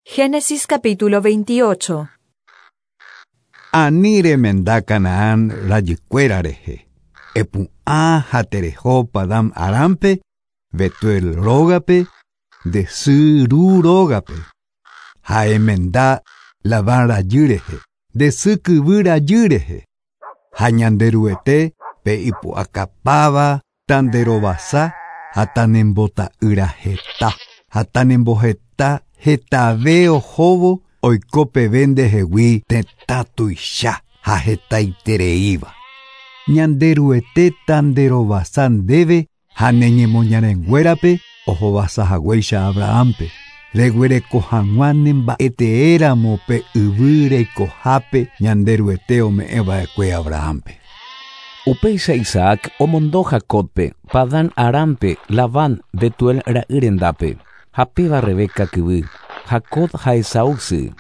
Génesis capítulo 28. Ani remenda Canaán rajykuéra rehe. Epu'ã ha tereho Padán Arámpe, Betuel rógape, nde sy ru rógape. Ha emenda Labán rajy rehe, nde sy kyvy rajy rehe. Ha Ñanderuete pe ipu'akapáva tanderovasa ha tanembota'ýra heta ha tanemboheta hetave ohóvo oiko peve ndehegui tetã tuicha ha hetaitereíva. Ñanderuete tanderovasa ndéve ha ne ñemoñarenguérape ohovasahaguéicha Abrahampe. Reguereko hag̃ua nemba'eteéramo pe yvy reikohápe Ñanderuete ome'ẽva'ekue Abrahampe. Upéicha Isaac omondo Jacobpe, Padán Arámpe, Labán, Betuel ra'y rendápe, ha péva Rebeca kyvy, Jacob ha Esaú sy.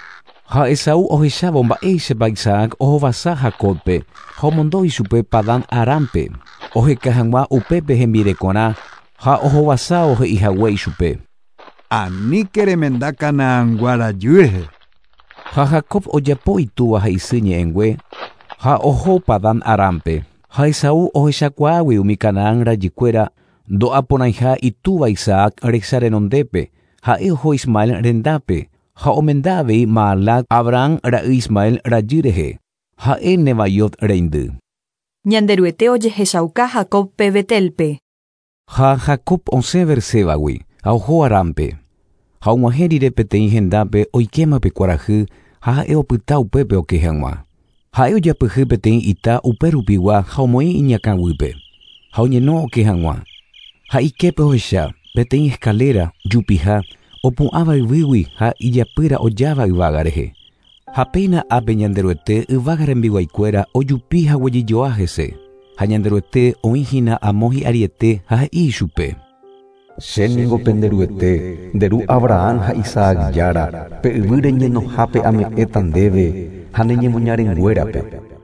Ha Esaú ohechávo mba'éichapa Isaac ohovasa Jacobpe ha omondo ichupe Padán Arámpe, oheka hag̃ua upépe hembirekorã ha ohovasa ohe'ihague ichupe. Aníke remenda Canaangua rajy rehe. Ha Jacob ojapo itúva ha isy ñe'ẽngue ha oho Padán Arámpe. Ha Esaú ohechakuaágui umi Canaán rajykuéra ndo'aporãiha itúva Isaac resa renondépe, ha'e oho Ismael rendápe ha omenda avei Maalat Abraham ra'y Ismael rajy rehe, ha'e Nebaiot reindy. Ñanderuete ojehechauka Jacobpe Betelpe. Ha Jacob osẽ Beersébagui ha oho Arámpe. Ha og̃uahẽ rire peteĩ hendápe oikéma pe kuarahy ha ha'e opyta upépe oke hag̃ua. Ha'e ojapyhy peteĩ ita uperupigua ha omoĩ iñakãguýpe ha oñeno oke hag̃ua. Ha iképe ohecha peteĩ escalera jupiha opu'ãva yvýgui ha ijapýra ojáva yvága rehe. Ha péina ápe Ñanderuete yvága rembiguaikuéra ojupi ha guejyjoa hese. Ha Ñanderuete oĩhína amo hi'ariete ha he'i ichupe. Che ningo pende Ruete, nde ru Abraham ha Isaac jára, pe yvy reñenohápe ame'ẽta ndéve ha ne ñemoñarenguérape,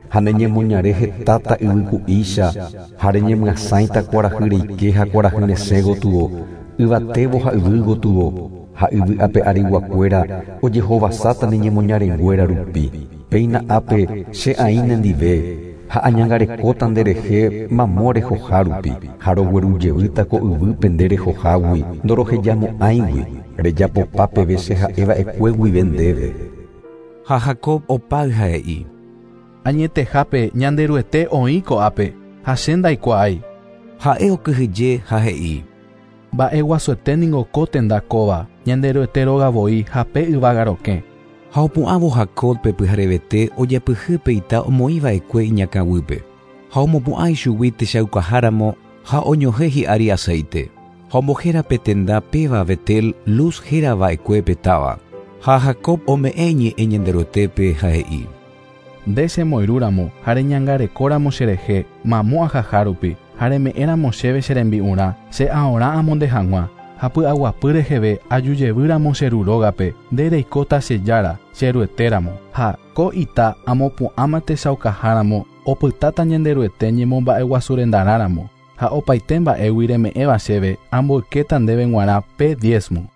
ha ne ñemoñare hetáta yvyku'ícha ha reñemyasãita kuarahy reike ha kuarahy resẽ gotyo, yvatévo ha yvy gotyo, ha yvy ape ariguakuéra ojehovasáta ne ñemoñarenguéra rupi. Péina ápe che aĩ nendive ha añangarekóta nderehe mamo rehoha rupi, ha roguerujevýta ko yvýpe nde rehohágui ndorohejamo'ãigui, rejapopa peve che ha'eva'ekue guive ndéve. Ha Jacob opáy ha he'i. Añetehápe Ñanderuete oĩ ko'ápe ha che ndaikuaái. Ha'e okyhyje ha he'i. Mba'eguasuete ningo ko tenda kóva, Ñanderuete róga voi ha pe yvága rokẽ. Ha opu'ãvo Jacob pe pyharevete ojapyhy pe ita omoĩva'ekue iñakãguýpe. Ha omopu'ã ichugui techaukaháramo ha oñohẽ hi'ári aceite. Ha ombohéra pe tenda péva Betel Luz hérava'ekue pe táva. Ha Jacob ome'ẽ ñe'ẽ Ñanderuetépe ha he'i. Nde chemoirũramo ha reñangarekóramo cherehe mamo ahaha rupi ha reme'ẽramo chéve che rembi'urã che aorã amonde hag̃ua ha py'aguapy reheve ajujevýramo che ru rógape nde reikóta che jára che ruetéramo ha ko ita amopu'ãma techaukaháramo opytáta Ñanderuete ñemomba'eguasurendarãramo ha opaite mba'égui reme'ẽva chéve amboykéta ndéve g̃uarã pe diezmo.